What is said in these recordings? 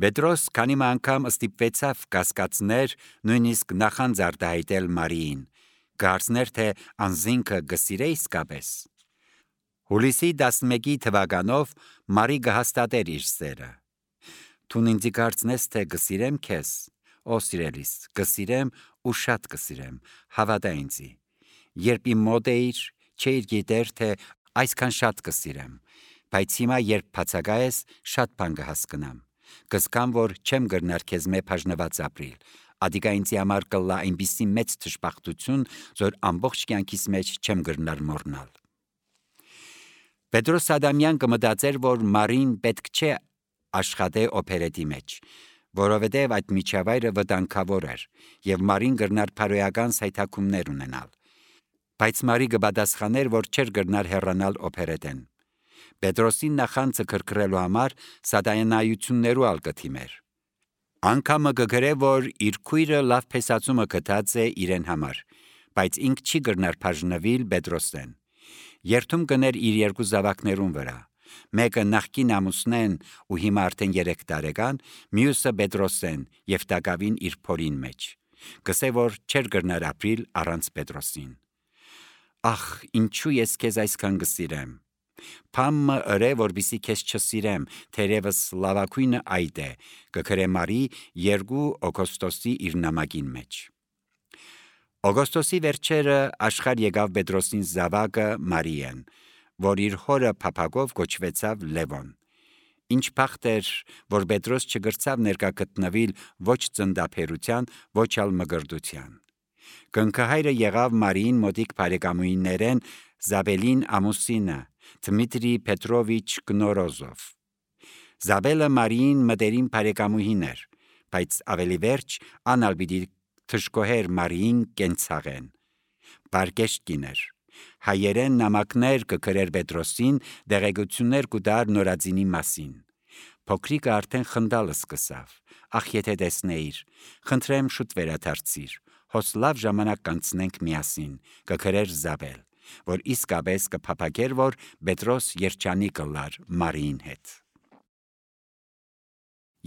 Պետրոս քանի անգամ ստիպվեցավ կասկածներ, նույնիսկ նախանձ արտահայտել Մարիին, կարծներ թե անձինքը գսիրե իսկապես։ Հուլիսի 11 թվականով Մարի կհաստատեր իր սերը։ Թուն ինձ կարծնես թե գսիրեմ քեզ, ո սիրելիս, գսիրեմ ու շատ գսիրեմ, հավատա ինձի։ Երբ իմ մոտ էիր, չէիր գիտեր թե այսքան շատ գսիրեմ, բայց հիմա երբ բացակա ես, շատ բան կհասկնամ։ Կզգամ, որ չեմ կրնար քեզ մե բաժնված ապրիլ, ադիկա ինձի համար կլա այնպիսի մեծ թշպախտություն, որ ամբողջ կյանքիս մեջ չեմ կրնար մոռնալ։ Պետրոս Ադամյան կմտածեր, որ Մարին պետք չէ աշխատե օպերետի մեջ, որովհետև այդ միջավայրը վտանգավոր էր, և Մարին կրնար փարոյական սայթաքումներ ունենալ։ Բայց Մարի կպատասխաներ, որ չէր կրնար հեռանալ օպերետեն։ Պետրոսին նախանձը քրքրելու համար սատանայություններու ալ կթիմեր։ Անգամը կգրե, որ իր քույրը լավ փեսացումը գտած է իրեն համար, բայց ինք չի կրնար բաժնվել Պետրոսեն։ Երթում կներ իր երկու զավակներուն վրա, մեկը նախկին ամուսնեն ու հիմա արդեն 3 տարեկան, մյուսը Պետրոսեն և տակավին իր փորին մեջ։ Կսե, որ չէր կրնար ապրիլ առանց Պետրոսին։ Ախ, ինչու ես քեզ այսքան կսիրեմ։ Փամը ըրե, որբիսի քեզ չսիրեմ, թերևս լավակույնը այդ է, կգրե Մարի 2 օգոստոսի իր նամակին մեջ։ Օգոստոսի վերջերը աշխարհ եկավ Պետրոսին զավակը Մարիեն, որ իր հորը փափագով կոչվեցավ Լևոն։ Ինչ բախտ էր, որ Պետրոս չգրցավ ներկա գտնվել ոչ ծննդաբերության, ոչ ալ մգրդության։ Կնքահայրը եղավ Մարիին մոտիկ բարեկամուհիներեն Զաբելին ամուսինը, Դմիտրի Պետրովիչ Կնորոզով։ Զաբելը Մարիին մտերիմ բարեկամուհին էր, բայց ավելի վերջ անալ պիտի թշկոհեր Մարիին կենցաղեն։ Բարգեշտ կիներ։ Հայերեն նամակներ կգրեր Պետրոսին, դեղեցություններ կուտար նորածինի մասին։ Փոքրիկը արդեն խնդալը սկսավ։ Ախ, եթե տեսնեիր, խնդրեմ շուտ վերադարձիր, հոս լավ ժամանակ կանցնենք միասին, կգրեր Զաբել, որ իսկապես կփափագեր, որ Պետրոս երջանի կլար Մարիին հետ։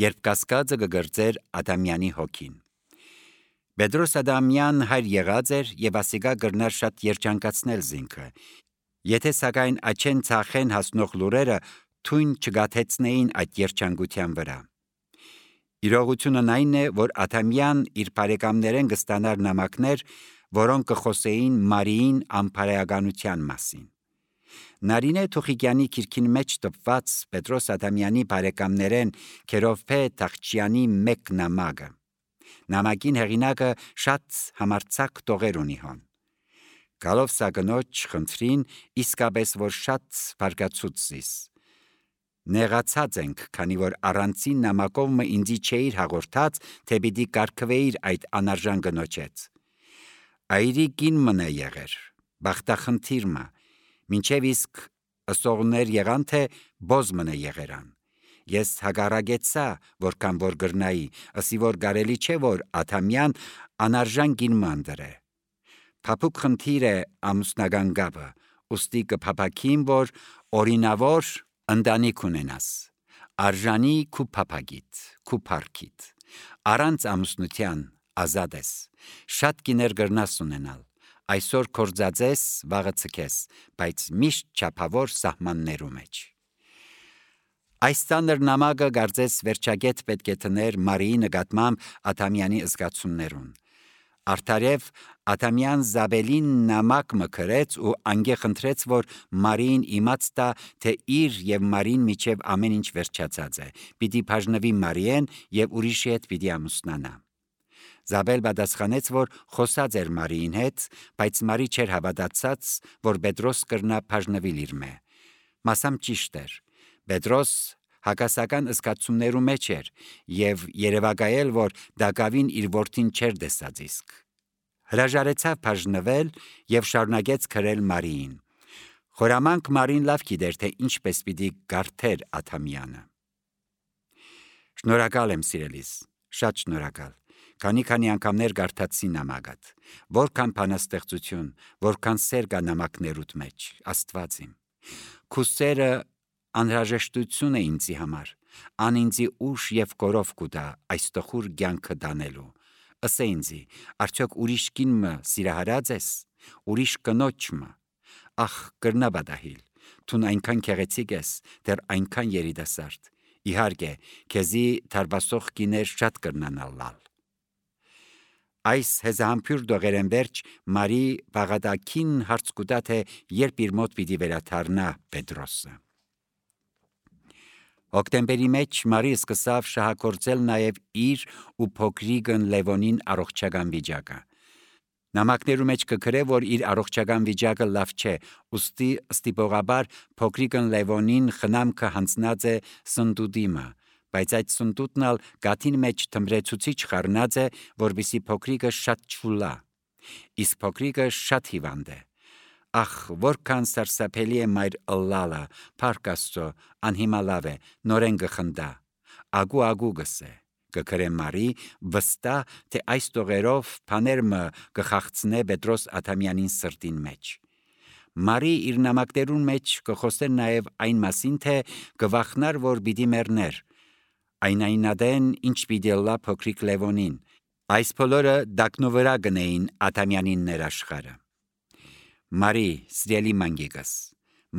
Երբ կասկածը կգրծեր Ադամյանի հոգին։ Պետրոս Ադամյան հայր եղած էր և ասիկա կրնար շատ երջանկացնել զինքը, եթե սակայն աչեն ցախեն հասնող լուրերը թույն չգաթեցնեին այդ երջանկության վրա։ Իրողությունն այն է, որ Ադամյան իր բարեկամներեն կստանար նամակներ, որոնք կխոսեին Մարիին անփարեականության մասին։ Նարինե Թուխիկյանի քիրքին մեջ տպված Պետրոս Ադամյանի բարեկամներեն Քերովփե Թախչյանի մեկ նամակը։ Նամակին հեղինակը շատ համարձակ տողեր ունի հոն։ Գալով սա կնոջ խնդրին, իսկապես որ շատ բարգացուց զիս։ Նեղացած ենք, քանի որ առանցին նամակով մը ինձի չէիր հաղորդած, թե պիտի կարգվեիր այդ անարժան կնոջեց։ Այրի կին մնա եղեր, բախտախնդիր մը, մինչև իսկ ըսողներ եղան, թե բոզ մնա եղերան։ Ես հագարագեցա, որքան որ գրնայի, ըսի որ կարելի չէ, որ Ադամյան անարժան կին մանդրե։ Փափուկ խնդիր է ամուսնական գաբը, ուստի կփափակին, որ օրինավոր ընտանիք ունենաս, արժանի քու փափագիտ, քու փառքիտ, առանց ամուսնության ազատ ես, շատ կիներ գրնաս ունենալ, այսօր կործածես, վաղը ցկես, բայց միշտ չափավոր սահմաններու մեջ։ Այս ծանր նամակը կարծես վերջագետ պետք է տներ Մարիի նկատմամբ Ադամյանի զգացումներուն։ Արդարև Ադամյան Զաբելին նամակ մկրեց ու անգե խնդրեց, որ Մարիին իմաց տա, թե իր և Մարին միջև ամեն ինչ վերջացած է, պիտի բաժնվի Մարիեն և ուրիշի հետ պիտի ամուսնանա։ Զաբել պատասխանեց, որ խոսած էր Մարիին հետ, բայց Մարի չէր հավատացած, որ Պետրոս կրնա բաժնվել իր մե։ Մասամբ ճիշտ էր։ Պետրոս հակասական զգացումներու մեջ էր և երևակայել, որ դակավին իր որդին չէր տեսած իսկ։ Հրաժարեցավ բաժնվել և շարունակեց քրել Մարիին։ Խորամանկ Մարին լավ գիտեր, թե ինչպես պիտի գարթեր Ադամյանը։ Շնորհակալ եմ սիրելիս, շատ շնորհակալ։ Քանի անգամներ գարթացի նամակդ, որքան բանաստեղծություն, որքան սեր կա նամակներուդ մեջ, Աստված իմ։ Քու սերը անհրաժեշտություն է ինձի համար, Ան ինձի ուշ եւ կորով կուտա այս տխուր կյանքը դանելու։ Ըսե ինձի, արդյոք ուրիշ կինը սիրահարած ես, ուրիշ կնոջը։ Ախ, կրնա բադահիլ, թուն այնքան քեղեցիկ ես, դեռ այնքան երիտասարդ։ Իհարկե, քեզի թարբասող կիներ շատ կրնանալ։ Այս հեզահամբյուր դողերեն վերջ Մարի բաղադակին հարց կուտա թե երբ իր մոտ պիտի վերադառնա Պետրոսը։ Հոկտեմբերի մեջ Մարի սկսավ շահագործել նաև իր ու փոքրիկն Լևոնին առողջական վիճակը։ Նամակներու մեջ կգրե, որ իր առողջական վիճակը լավ չէ, ուստի ստիպողաբար փոքրիկն Լևոնին խնամքը հանձնած է սնդուդիմը, բայց այդ սնդուդն ալ գաթին մեջ թմրեցուցիչ խառնած է, որպեսզի փոքրիկը շատ չուլա։ Իսկ փոքրիկը շատ հիվանդ է։ Ախ, որքան սարսափելի է մայր ըլլալը, փառք Աստծո, անհիմալավ է, նորեն գխնդա, ագու գսե, կգրե Մարի, վստահ, թե այս տողերով փաներմը կխաղցնե Պետրոս Աթամյանին սրտին մեջ։ Մարի իր նամակներուն մեջ կխոսեր նաև այն մասին, թե կվախնար, որ պիտի մեռներ, այնայնադեն ինչ պիտի լա փոքրիկ Լևոնին, այս բոլորը դակնու վրա գնեին Աթամյանին ներաշխարը։ Մարի, սիրելի մանգիկս,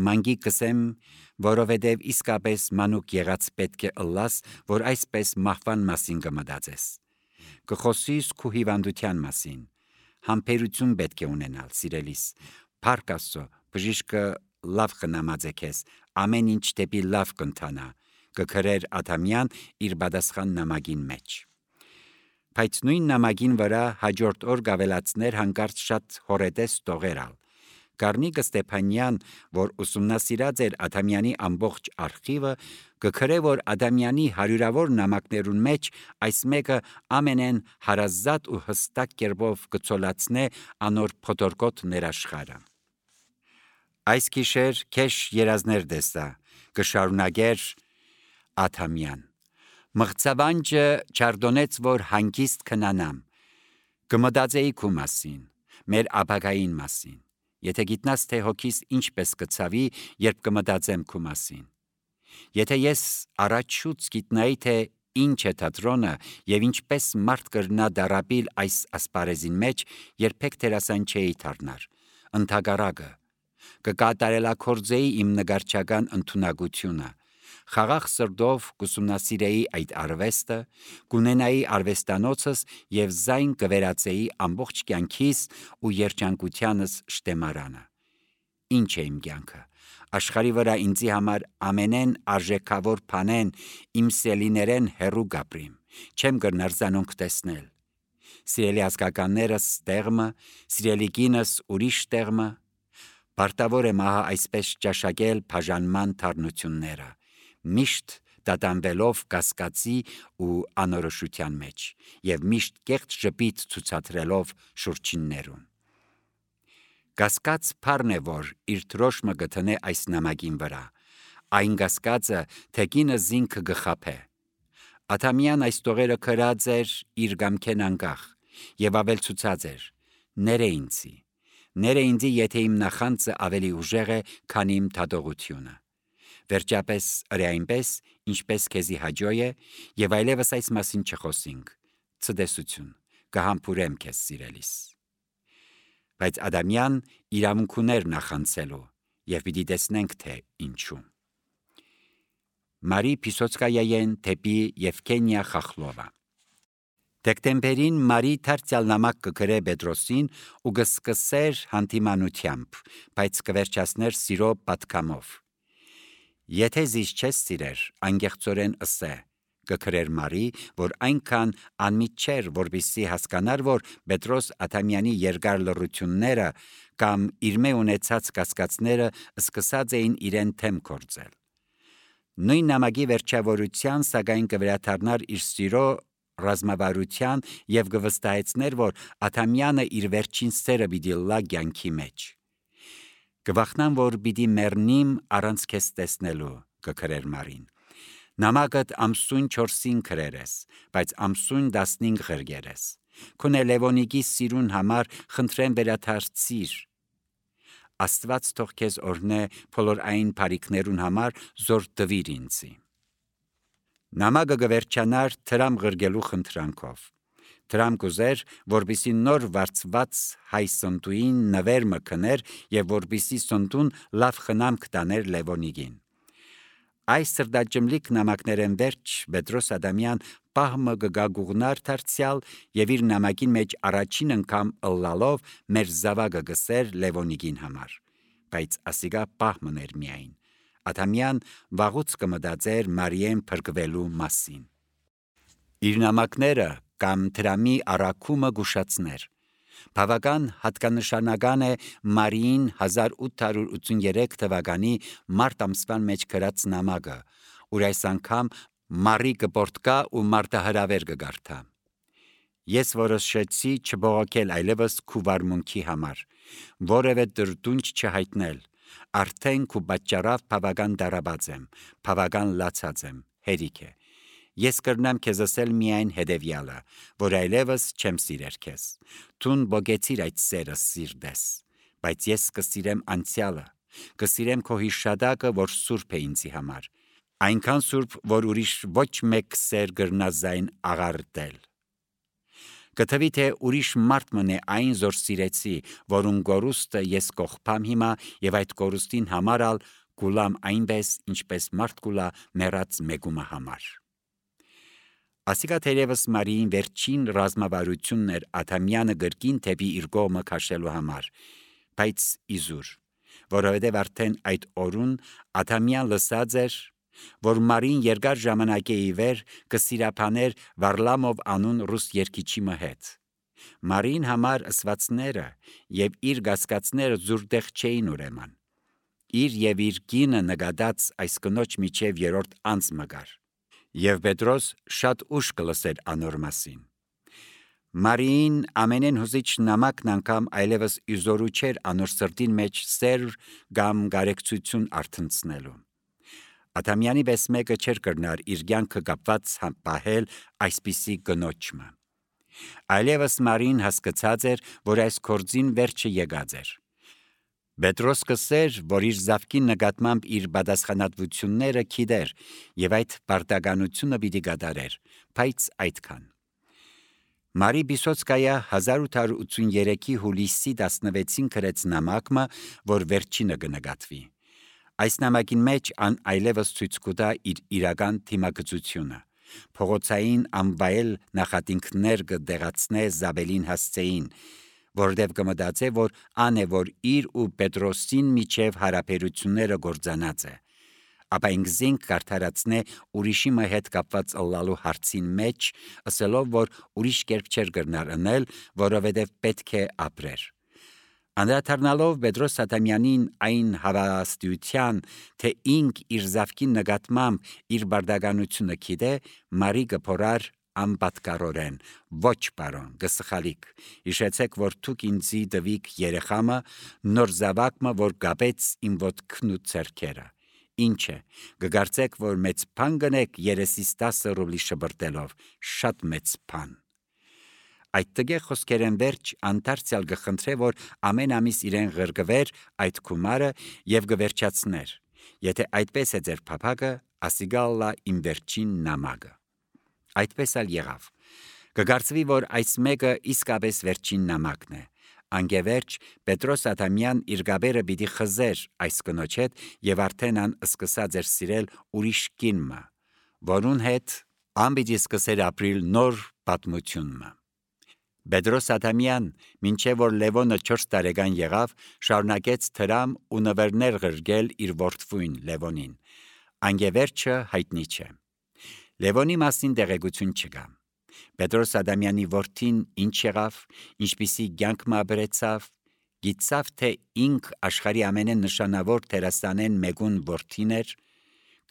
մանգիկ կսեմ, որովհետև իսկապես մանուկ եղած պետք է ըլլաս, որ այսպես մահվան մասին կմտածես։ Կխոսիս քու հիվանդության մասին, համբերություն պետք է ունենալ, սիրելիս, փառք Աստծո, բժիշկը լավ խնամած է քեզ, ամեն ինչ դեպի լավ կընթանա, կգրեր Աթամյան իր պատասխան նամակին մեջ։ Բայց նույն նամակին վրա հաջորդ օր գավելացներ հանկարծ շատ հորետես տողերալ։ Գառնիկը Ստեփանյան, որ ուսումնասիրած էր Աթամյանի ամբողջ արխիվը, կգրե, որ Աթամյանի հարյուրավոր նամակներուն մեջ այս մեկը ամենեն հարազատ ու հստակ կերպով կցոլացնե անոր փոթորկոտ ներաշխարը։ Այս գիշեր քեշ երազներ դեսա, կշարունակեր Աթամյան։ Մղձավանջը չարդոնեց, որ հանգիստ քնանամ, կմտածեի քու մասին, մեր ապագային մասին։ Եթե գիտնաս, թե հոգիս ինչպես կցավի, երբ կմտածեմ քու մասին։ Եթե ես առաջուց գիտնայի, թե ինչ է թատրոնը եւ ինչպես մարդ կրնա դարապիլ այս ասպարեզին մեջ, երբեք դերասան չէի դառնար։ Ընթագարակը կկատարելակորձեի իմ նգարչական ընդունակությունը։ Խաղաղ սրտով կուսումնասիրեի այդ արվեստը, կունենայի արվեստանոցս եւ զայն կվերածեի ամբողջ կյանքիս ու երջանկությանս շտեմարանը։ Ինչ է իմ կյանքը։ Աշխարհի վրա ինձի համար ամենեն արժեքավոր բանեն իմ սելիներեն հերու գապրիմ, չեմ կրնար զանոնք տեսնել։ Սիրելի ազգականներս տեղմը, սիրելի կինս ուրիշ տեղմը, պարտավոր եմ ահա այսպես ճաշակել բաժանման թարնությունները, միշտ դատանվելով կասկածի ու անորոշության մեջ եւ միշտ կեղծ ժպիտ ցուցադրելով շուրջիններուն։ Կասկած բառն է, որ իր դրոշմը գտնե այս նամակին վրա, այն կասկածը, թե կինը զինքը գխափե։ Աթամյան այս տողերը քրած էր իր գամքեն անկախ եւ ավելցուցած էր. ները ինձի, եթե իմ նախանձը ավելի ուժեղ է, քան իմ դատողությունը։ Վերջապես ըրե այնպես, ինչպես քեզի հաջող է, եւ այլևս այս մասին չխոսինք։ Ցտեսություն, կհամբուրեմ քեզ, սիրելիս։ Բայց Ադամյան իրավունք ուներ նախանցելու, եւ պիտի տեսնենք, թե ինչու։ Մարի Պիսոցկայայեն թեպի Եվգենիա Խախլովա։ Դեկտեմբերին Մարի դարձյալ նամակ կգրե Պետրոսին ու կսկսեր հանդիմանությամբ, բայց կվերջացներ սիրո պատկամով։ Եթե զիս չես սիրեր, անգեղծորեն ըսե, կգրեր Մարի, որ այնքան անմիջ չէր, որպեսզի հասկանար, որ Պետրոս Աթամյանի երկար լռությունները կամ իր մե ունեցած կասկածները սկսած էին իրեն թեմ կործել։ Նույն նամակի վերջավորության սակայն կվերադառնար իր սիրո ռազմավարության եւ կվստահեցներ, որ Աթամյանը իր վերջին սերը պիտի լա կյանքի մեջ։ Կվախնամ, որ պիտի մեռնիմ առանց քեզ տեսնելու, կգրեր Մարին։ Նամակդ ամսուն 4-ին գրերես, բայց ամսուն 15 ղրգերես։ Քունե Լևոնիկի սիրուն համար խնդրեմ վերադարձիր։ Աստված թող քեզ օրհնե բոլոր այն բարիքներուն համար, զոր տվիր ինձի։ Նամակը գվերջանար թրամ ղրգելու խնդրանքով։ Թրամ կուզեր, որպիսի նոր վարձված հայ սնտուին նվեր մկներ եւ որպիսի սնտուն լավ խնամք տաներ Լևոնիգին։ Այս սրդաջմլիկ նամակներեն վերջ Պետրոս Ադամյան պահմը գգագուղնար դարձյալ եւ իր նամակին մեջ առաջին անգամ ըլլալով մեր զավակը գսեր Լևոնիգին համար, բայց ասիգա պահմն էր միայն։ Ադամյան վաղուց կմտածեր Մարիեն փրկվելու մասին։ Իր նամակները կամ թրամի առաքումը գուշացներ։ Բավական հատկանշանական է Մարիին 1883 թվականի մարտ ամսվան մեջ գրած նամակը, ուր այս անգամ Մարի կպորտկա ու մարտահրավեր կգարթա։ Ես որոշեցի չբողոքել այլևս քու վարմունքի համար, որևէ դրդունջ չհայտնել, արդեն քու պատճառավ բավական դարաբած եմ, բավական լացած եմ, հերիք է։ Ես կրնամ քեզ ասել միայն հետևյալը, որ այլևս չեմ սիրեր քեզ։ Տուն բոգեցիր այդ սերը սիրտես, բայց ես կսիրեմ անցյալը, կսիրեմ քո հիշատակը, որ սուրբ է ինձի համար, այնքան սուրբ, որ ուրիշ ոչ մեկ սեր գրնա զայն աղարտել։ Կթվի թե ուրիշ մարդ մնե այն զոր սիրեցի, որուն գորուստը ես կողպամ հիմա եւ այդ գորուստին համարալ կուլամ այնպես, ինչպես մարդ կուլա մեռած մեգումը համար։ Ասիկա թերևս Մարիին վերջին ռազմավարությունն էր Ադամյանը գրկին թեպի իր կողմը քաշելու համար, բայց իզուր, որովհետև արդեն այդ օրուն Ադամյան լսած էր, որ Մարին երկար ժամանակ է ի վեր կսիրապաներ Վարլամով անուն ռուս երգիչի հետ։ Մարին համար ըսվածները եւ իր գասկածները զուրդեղ չէին ուրեմն։ Իր եւ իր կինը նկատած այս կնոջ միջև երրորդ անձ մգար։ Եվ Պետրոս շատ ուշ կլսեր անոր մասին։ Մարիին ամենեն հուզիչ նամակն անգամ այլևս իզորու չէր անոր սրտին մեջ սեր կամ գարեկցություն արթնցնելու։ Ադամյանի պես մեկը չէր կրնար իր կյանքը կապված պահել այսպիսի կնոջը։ Այլևս Մարին հասկացած էր, որ այս գործին վերջը եկած էր։ Պետրոս կսեր, որ իր զավկի նկատմամբ իր պատասխանատվությունները գիտեր եւ այդ պարտականությունը պիտի կատարեր, բայց այդքան։ Մարի Բիսոցկայա 1883-ի հուլիսի 16-ին գրեց նամակը, որ վերջինը կնկատվի։ Այս նամակին մեջ ան այլևս ցույց կտա իր իրական թիմակցությունը։ Փողոցային անվայել նախատինքներ կդեղացնե Զաբելին հասցեին, որտեվ կմտածե, որ ան է, որ իր ու Պետրոսին միջև հարաբերությունները գործանած է, ապա ինքզինք կարդարացնե ուրիշի հետ կապված ըլլալու հարցին մեջ, ասելով, որ ուրիշ կերպ չէր կրնար ընել, որովհետև պետք է ապրեր։ Անդրադառնալով Պետրոս Ադամյանին այն հավաստիության, թե ինք իր զավկի նկատմամբ իր բարդականությունը գիտե, Մարի կփորար անպատկառորեն, ոչ պարոն, գսխալիք, հիշեցեք, որ դուք ինձի տվիք երեխամը, նոր զավակը, որ կապեց իմ ոտքն ու ձեռքերը։ Ինչ է, կգարցեք, որ մեծ բան գնեք երեսիս 10 ռուբլի շբրտելով, շատ մեծ բան։ Այդ տգեղ խոսքերեն վերջ անդարձյալ գխնդրե, որ ամեն ամիս իրեն ղրգվեր այդ գումարը եւ գվերջացներ։ Եթե այդպես է ձեր փափակը, ասիգալլա իմ վերջին նամակը։ Այդպես ալ եղավ։ Կգարցվի, որ այս մեկը իսկապես վերջին նամակն է։ Անգևերջ Պետրոս Ադամյան իր գաբերը պիտի խզեր այս կնոջ հետ եւ արդեն ան սկսած էր սիրել ուրիշ կինը, որուն հետ ան պիտի սկսեր ապրիլ նոր պատմությունը։ Պետրոս Ադամյան, մինչև որ Լևոնը 4 տարեկան եղավ, շարունակեց թրամ ու նվերներ ղրգել իր որդվույն Լևոնին։ Անգևերջը հայտնի չէ։ Լևոնի մասին տեղեկություն չկա։ Պետրոս Ադամյանի որդին ինչ եղավ, ինչպիսի կյանք ապրեցավ, գիտավ թե ինք աշխարհի ամենանշանավոր դերասանեն մեկուն որդին էր,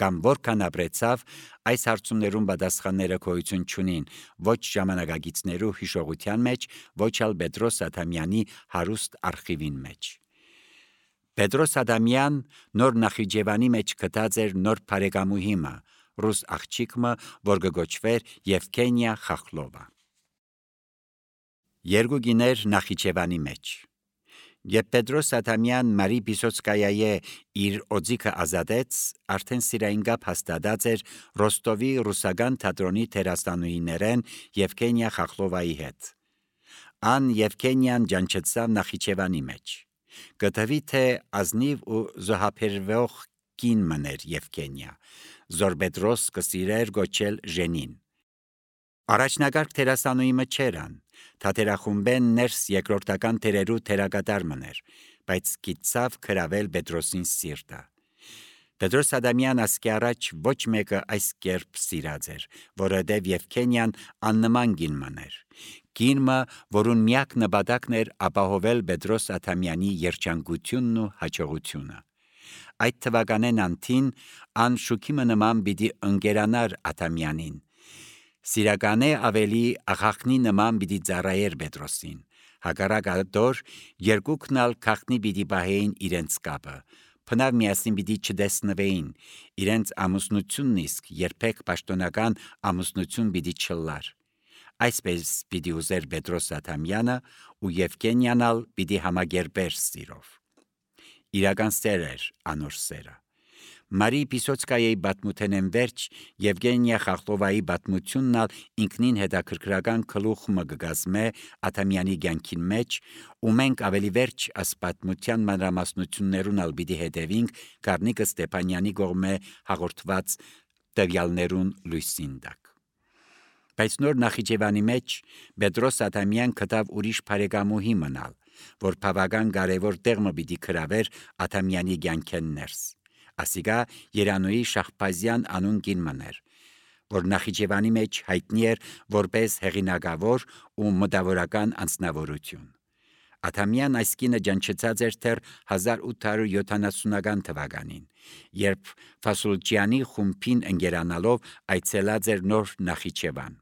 կամ որքան ապրեցավ, այս հարցումներում պատասխանները գոյություն չունին, ոչ ժամանակագիցներու հիշողության մեջ, ոչ ալ Պետրոս Ադամյանի հարուստ արխիվին մեջ։ Պետրոս Ադամյան նոր Նախիջևանի մեջ գտած էր նոր բարեկամուհիմը, ռուս աղջիկը, որ կգոչվեր Եվգենիա Խախլովա։ Երկու գիներ Նախիջևանի մեջ։ Երբ Պետրոս Ադամյան Մարի Պիսոցկայայի իր օձիքը ազատեց, արդեն սիրային գապ հաստատած էր Ռոստովի ռուսական թատրոնի դերասանուհիներեն Եվգենիա Խախլովայի հետ։ Ան Եվգենիան ջանչեցավ Նախիջևանի մեջ։ Գտվի թե ազնիվ ու զոհաբերվող կին մներ Եվգենիա, զոր Պետրոս կսիրեր գոչել Ժենին։ Առաջնագարկ դերասանուհի մչերան, թատերախումբեն ներս երկրորդական դերերու դերակատար մներ, բայց գիտցավ քրավել Պետրոսին սիրտը։ Պետրոս Ադամյան ասկի առաջ ոչ մեկը այս կերպ սիրած էր, որովհետև Եվգենիան աննման գին մներ։ Գինը, որուն միակ նպատակն էր ապահովել Պետրոս Ադամյանի երջանկությունն ու հաջողությունը։ Այդ թվականեն անթին ան շուքիմը նման պիտի ընկերանար Ադամյանին։ Սիրականը ավելի աղախնի նման պիտի ծառայեր Պետրոսին։ Հակառակադոր երկուքնալ քաղտնի պիտի պահեին իրենց կապը։ Փնավ միասին պիտի չտեսնվեին, իրենց ամուսնությունն իսկ երբեք պաշտոնական ամուսնություն պիտի չլար։ Այսպես պիտի ուզեր Պետրոս Ադամյանը ու Եվգենիանալ պիտի համագերբեր սիրով։ Իրական սեր էր անոր սերը։ Մարի Պիսոցկայայի բատմութենեն վերջ Եվգենիա Խախլովայի բատմություննալ ինքնին հետաքրքրական գլուխը կգազմե Ադամյանի կյանքին մեջ, ու մենք ավելի վերջ աս բատմության մանրամասնություններուն ալ պիտի հետևինք Գառնիկը Ստեփանյանի կողմէ հաղորդված տվյալներուն լույսին տակ։ Բայց նոր Նախիջևանի մեջ Պետրոս Ադամյան գտավ ուրիշ բարեկամուհի մնալ, որ բավական կարևոր տեղ մը պիտի գրավեր Ադամյանի կյանքեն ներս։ Ասիկա Երանուհի Շահբազյան անուն կին մներ, որ Նախիջևանի մեջ հայտնի էր որպես հեղինակավոր ու մտավորական անձնավորություն։ Ադամյան այս կինը ջանչեցած էր դեռ 1870-ական թվականին, երբ Ֆասուլջյանի խումբին ընկերանալով այցելած էր նոր Նախիջևան։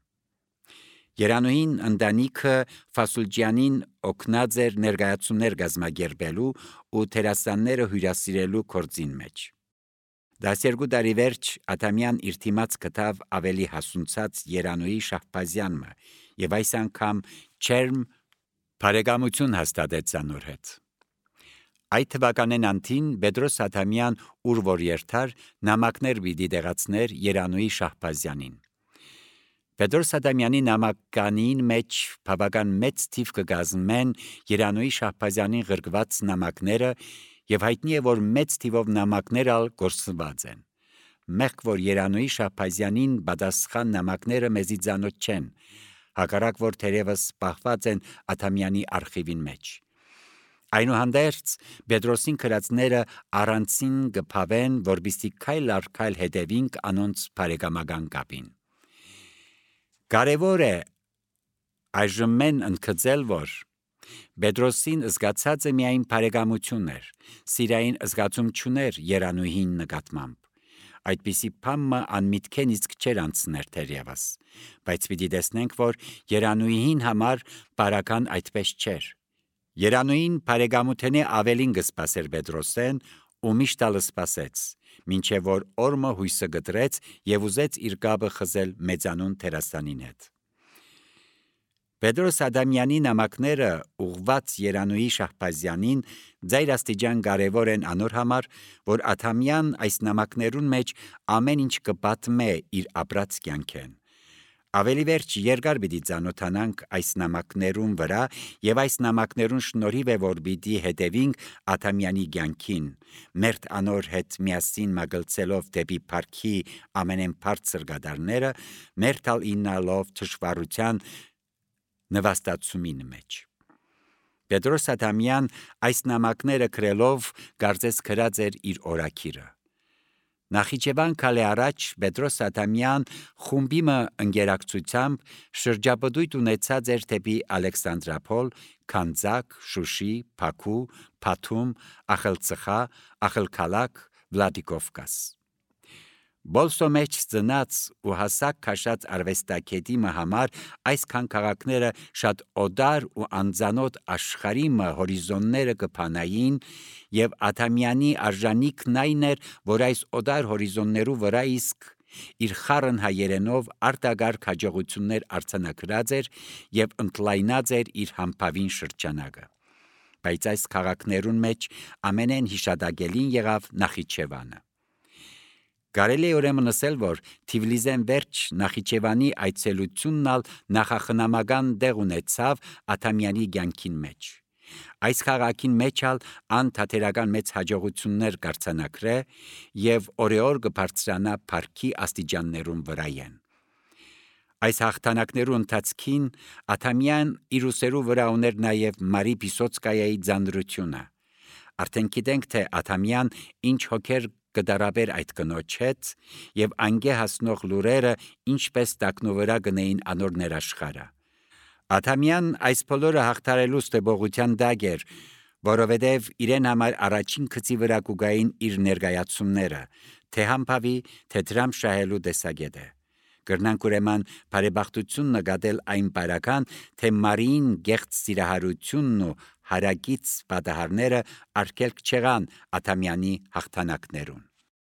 Երանուհին ընտանիքը Ֆասուլջյանին օգնած էր ներկայացումներ կազմակերպելու ու դերասանները հյուրասիրելու գործին մեջ։ 12 տարի վերջ Ադամյան իր թիմած գտավ ավելի հասունցած Երանուհի Շահբազյանը եւ այս անգամ չերմ բարեկամություն հաստատեց անոր հետ։ Այդ թվականեն անթին Պետրոս Ադամյան ուր որ երթար նամակներ պիտի դեղացներ Երանուհի Շահբազյանին։ Պետրոս Ադամյանի նամականին մեջ բավական մեծ թիվ կգազմեն Երանուհի Շահբազյանին գրկված նամակները եւ հայտնի է, որ մեծ թիվով նամակներ ալ գործված են։ Մեղք որ Երանուհի Շահբազյանին պատասխան նամակները մեզի ծանոթ չեն, հակառակ որ թերևս պահված են Ադամյանի արխիվին մեջ։ Այնուհանդերձ Պետրոսին գրածները առանցին կփավեն, որբիսի քայլ առ քայլ հետևինք անոնց բարեկամական կապին։ Կարևոր է այժմ մեն ընդգծել, որ Պետրոսին զգացածը միայն բարեկամություն էր, սիրային զգացում չուներ Երանուհին նկատմամբ։ Այդպիսի բամը անմիտքեն իսկ չէր անցներ թերևս, բայց պիտի տեսնենք, որ Երանուհին համար բարական այդպես չէր։ Երանուհին բարեկամութենե ավելին կսպասեր Պետրոսեն ու միշտ ալ սպասեց, մինչև որ օրը հույսը գտրեց եւ ուզեց իր կապը խզել մեծանուն դերասանին հետ։ Պետրոս Ադամյանի նամակները ուղված Երանուհի Շահբազյանին ձայրաստիճան կարևոր են անոր համար, որ Ադամյան այս նամակներուն մեջ ամեն ինչ կպատմե իր ապրած կյանքեն։ Ավելի վերջ երկար պիտի ծանոթանանք այս նամակներուն վրա եւ այս նամակներուն շնորհիվ է որ պիտի հետևինք Ադամյանի կյանքին, մերթ անոր հետ միասին մագլցելով դեպի парքի ամենեն բարձր գդարները, մերթ ալ իննալով թշվառության նվաստացումին մեջ։ Պետրոս Ադամյան այս նամակները գրելով կարծես գրած էր իր օրակիրը։ Նախիջևան քալե առաջ Պետրոս Ադամյան խումբիմը ընկերակցությամբ շրջապտույտ ունեցած էր դեպի Ալեքսանդրապոլ, Քանձակ, Շուշի, Բաքու, Բաթում, Ախալցխա, Ախալքալակ, Վլադիկովկաս։ Բոլսո մեջ ծնած ու հասակ քաշած արվեստագետի համար այսքան քաղաքները շատ օդար ու անծանոթ աշխարհի հորիզոնները կփանային եւ Ադամյանի արժանիքն այն էր, որ այս օդար հորիզոններու վրա իսկ իր խառն հայերենով արտագարգ հաջողություններ արձանագրած էր եւ ընդլայնած էր իր համբավին շրջանակը։ բայց այս քաղաքներուն մեջ ամենեն հիշադակելին եղավ Նախիջևանը։ Կարելի է ուրեմն ասել, որ Թիֆլիսեն վերջ Նախիջևանի այցելությունն ալ նախախնամական դեղ ունեցավ Աթամյանի կյանքին մեջ։ Այս քաղաքին մեջ ալ անթատերական մեծ հաջողություններ կարձանակրե եւ օրեօր կբարձրանա փառքի աստիճաններուն վրայեն։ Այս հաղթանակներու ընթացքին Աթամյան իր ուսերու վրա ուներ նաև Մարի Պիսոցկայայի ձանրությունը։ Արդեն գիտենք, թե Աթամյան ինչ հոգեր կդարաբեր այդ կնոջ հետ եւ անգե հասնող լուրերը ինչպես տակնու վրա գնային անոր ներաշխարը։ Աթամյան այս բոլորը հաղթարելու ստեբողության դակ էր, որովհետև իրեն համար առաջին գծի վրա կուգային իր ներկայացումները, թե համբավի, թե դրամ շահելու տեսակետը։ Կրնանք ուրեմն բարեբախտություն նկատել այն բարական, թե Մարիին գեղձ սիրահարությունն ու հարակից պատահարները արգելք չեղան Աթամյանի հաղթանակներուն։